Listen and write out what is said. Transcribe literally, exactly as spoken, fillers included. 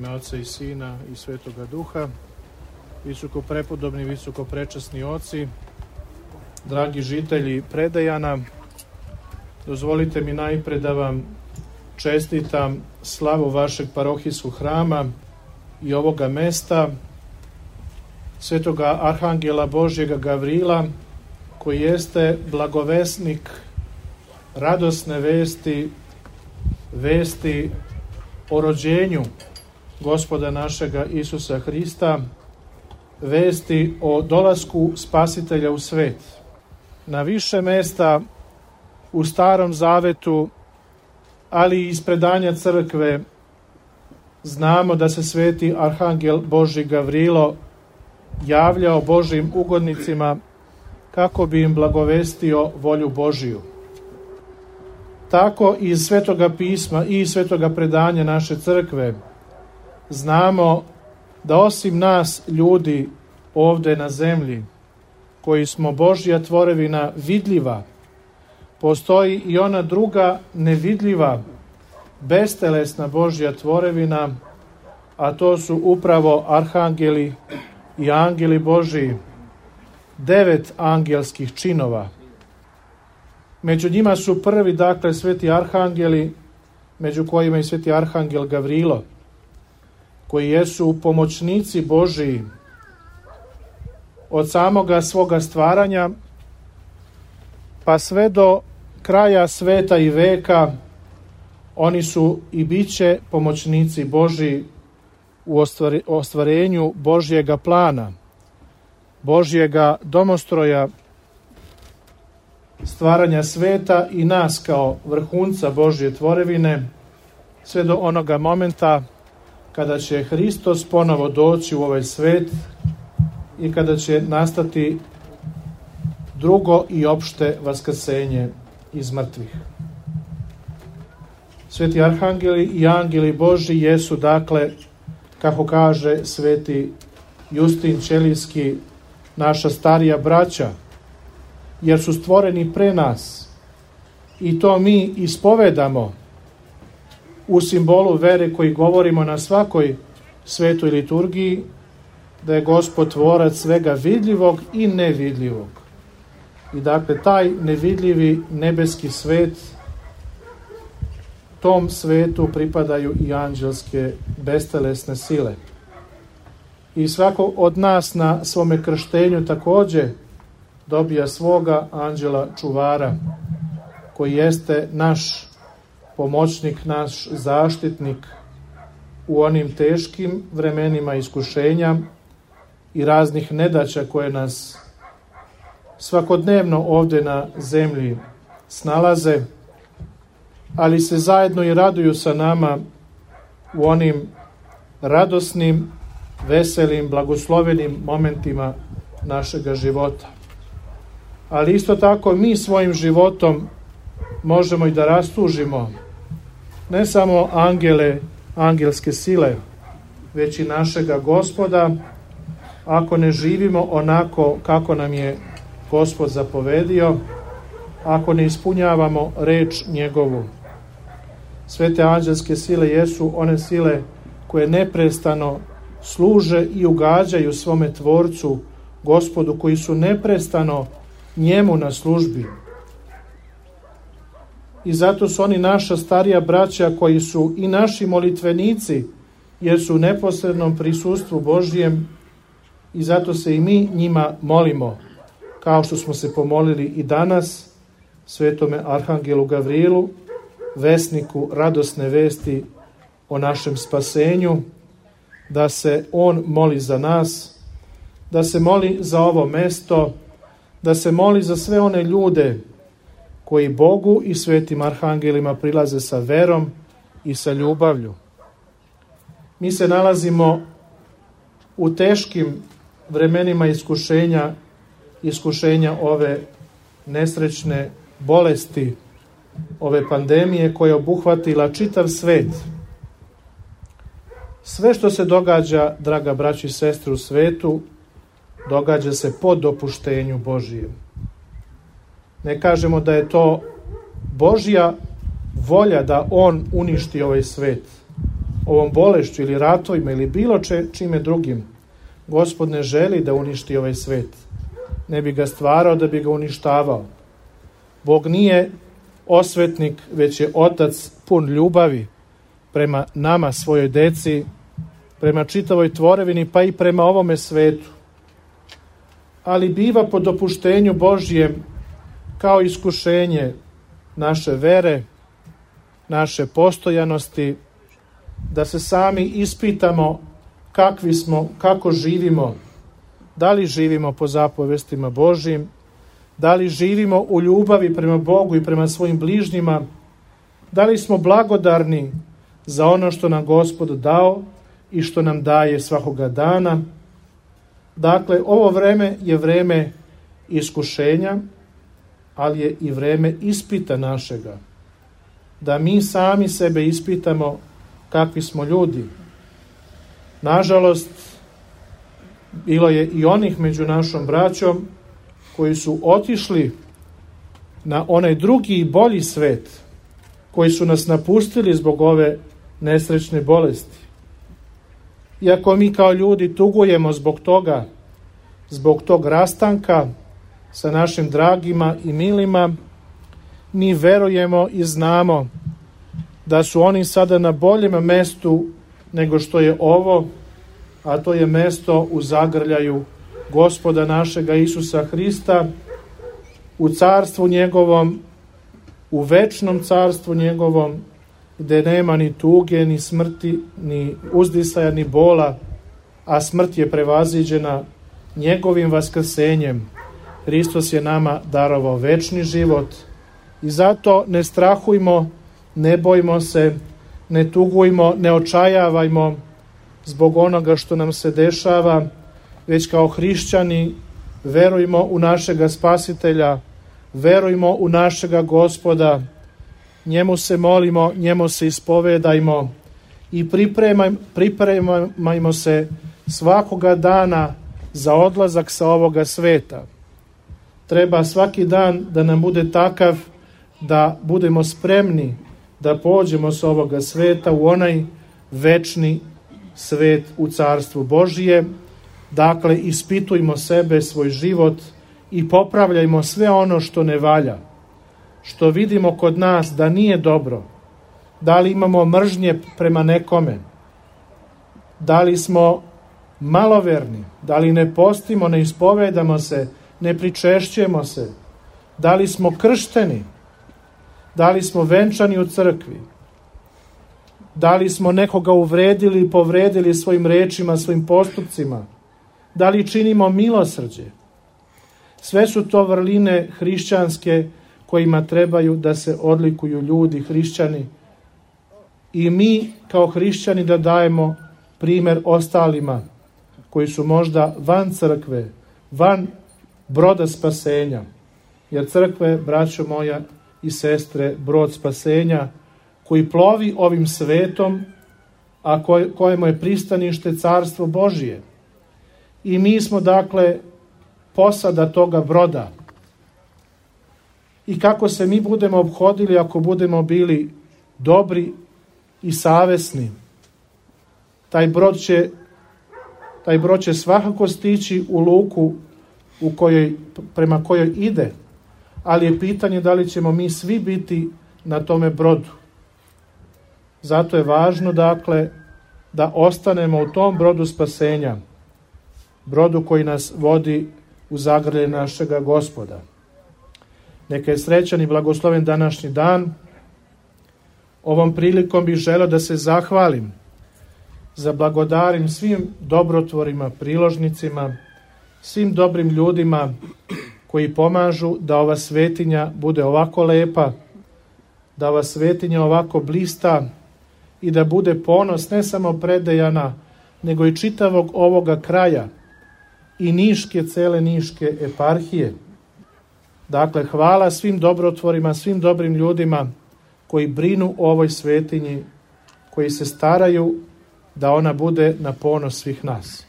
ime Oca i Sina i Svetoga Duha. Visoko prepodobni, visoko prečasni oci, dragi žitelji Predejana, dozvolite mi najpre da vam čestitam slavu vašeg parohijskog hrama i ovoga mesta, Svetoga Arhangela Božjega Gavrila, koji jeste blagovesnik radosne vesti, vesti o rođenju Gospoda našega Isusa Hrista, vesti o dolasku Spasitelja u svet. Na više mesta u Starom Zavetu, ali i iz predanja crkve, znamo da se sveti Arhangel Božji Gavrilo javljao Božjim ugodnicima kako bi im blagovestio volju Božiju. Tako iz Svetoga pisma i iz Svetoga predanja naše crkve znamo da osim nas ljudi ovde na zemlji, koji smo Božja tvorevina vidljiva, postoji i ona druga nevidljiva, bestelesna Božja tvorevina, a to su upravo arhangeli i angeli Božji, devet angelskih činova. Među njima su prvi, dakle, sveti arhangeli, među kojima i sveti arhangel Gavrilo, koji jesu pomoćnici Božiji od samoga svoga stvaranja pa sve do kraja sveta i veka. Oni su i biće pomoćnici Božiji u ostvarenju Božjega plana, Božjega domostroja, stvaranja sveta i nas kao vrhunca Božje tvorevine, sve do onoga momenta kada će Hristos ponovo doći u ovaj svet i kada će nastati drugo i opšte vaskrsenje iz mrtvih. Sveti arhangeli i angeli Božji jesu, dakle, kako kaže sveti Justin Ćelijski, naša starija braća, jer su stvoreni pre nas i to mi ispovedamo u simbolu vere koji govorimo na svakoj svetoj liturgiji, da je Gospod tvorac svega vidljivog i nevidljivog. I dakle, taj nevidljivi nebeski svet, tom svetu pripadaju i anđelske bestelesne sile. I svako od nas na svome krštenju takođe dobija svoga anđela čuvara, koji jeste naš pomoćnik, naš zaštitnik u onim teškim vremenima iskušenja i raznih nedaća koje nas svakodnevno ovde na zemlji snalaze, ali se zajedno i raduju sa nama u onim radosnim, veselim, blagoslovenim momentima našega života. Ali isto tako mi svojim životom možemo i da rastužimo ne samo angele, angelske sile, već i našega Gospoda, ako ne živimo onako kako nam je Gospod zapovedio, ako ne ispunjavamo reč njegovu. Sve te anđelske sile jesu one sile koje neprestano služe i ugađaju svome Tvorcu, Gospodu, koji su neprestano njemu na službi. I zato su oni naša starija braća koji su i naši molitvenici, jer su u neposrednom prisustvu Božjem, i zato se i mi njima molimo, kao što smo se pomolili i danas svetome Arhangelu Gavrilu, vesniku radosne vesti o našem spasenju, da se on moli za nas, da se moli za ovo mesto, da se moli za sve one ljude koji Bogu i svetim arhangelima prilaze sa verom i sa ljubavlju. Mi se nalazimo u teškim vremenima iskušenja, iskušenja ove nesrećne bolesti, ove pandemije koja je obuhvatila čitav svet. Sve što se događa, draga braći i sestre, u svetu, događa se po dopuštenju Božijem. Ne kažemo da je to Božja volja da on uništi ovaj svet, ovom bolešću ili ratovima ili bilo če, čime drugim, Gospod ne želi da uništi ovaj svet. Ne bi ga stvarao da bi ga uništavao. Bog nije osvetnik, već je otac pun ljubavi prema nama, svojoj deci, prema čitavoj tvorevini, pa i prema ovome svetu. Ali biva po dopuštenju Božjem kao iskušenje naše vere, naše postojanosti, da se sami ispitamo kakvi smo, kako živimo, da li živimo po zapovestima Božjim, da li živimo u ljubavi prema Bogu i prema svojim bližnjima, da li smo blagodarni za ono što nam Gospod dao i što nam daje svakoga dana. Dakle, ovo vreme je vreme iskušenja, ali je i vreme ispita našega. Da mi sami sebe ispitamo kakvi smo ljudi. Nažalost, bilo je i onih među našom braćom koji su otišli na onaj drugi i bolji svet, koji su nas napustili zbog ove nesrećne bolesti. Iako mi kao ljudi tugujemo zbog toga, zbog tog rastanka sa našim dragima i milima, mi verujemo i znamo da su oni sada na boljem mestu nego što je ovo, a to je mesto u zagrljaju Gospoda našega Isusa Hrista, u carstvu njegovom, u večnom carstvu njegovom, gde nema ni tuge, ni smrti, ni uzdisaja, ni bola, a smrt je prevaziđena njegovim vaskrsenjem. Hristos je nama darovao večni život i zato ne strahujmo, ne bojmo se, ne tugujmo, ne očajavajmo zbog onoga što nam se dešava, već kao hrišćani verujmo u našega Spasitelja, verujmo u našega Gospoda, njemu se molimo, njemu se ispovedajmo i pripremaj, pripremajmo se svakoga dana za odlazak sa ovoga sveta. Treba svaki dan da nam bude takav da budemo spremni da pođemo sa ovoga sveta u onaj večni svet u carstvu Božije. Dakle, ispitujmo sebe, svoj život i popravljajmo sve ono što ne valja, što vidimo kod nas da nije dobro. Da li imamo mržnje prema nekome? Da li smo maloverni? Da li ne postimo, ne ispovedamo se, ne pričešćujemo se? Da li smo kršteni? Da li smo venčani u crkvi? Da li smo nekoga uvredili i povredili svojim rečima, svojim postupcima? Da li činimo milosrđe? Sve su to vrline hrišćanske kojima trebaju da se odlikuju ljudi, hrišćani. I mi kao hrišćani da dajemo primer ostalima koji su možda van crkve, van broda spasenja. Jer crkve, braćo moja i sestre, brod spasenja koji plovi ovim svetom, a koj, kojemu je pristanište carstvo Božije. I mi smo dakle posada toga broda. I kako se mi budemo obhodili ako budemo bili dobri i savesni, taj brod će, taj brod će svakako stići u luku u kojoj, prema kojoj ide, ali je pitanje da li ćemo mi svi biti na tome brodu. Zato je važno, dakle, da ostanemo u tom brodu spasenja, brodu koji nas vodi u zagrlje našega Gospoda. Neka je srećan i blagosloven današnji dan. Ovom prilikom bih želeo da se zahvalim, zablagodarim svim dobrotvorima, priložnicima, svim dobrim ljudima koji pomažu da ova svetinja bude ovako lepa, da ova svetinja ovako blista i da bude ponos ne samo Predejana, nego i čitavog ovoga kraja i Niške, cele Niške eparhije. Dakle, hvala svim dobrotvorima, svim dobrim ljudima koji brinu o ovoj svetinji, koji se staraju da ona bude na ponos svih nas.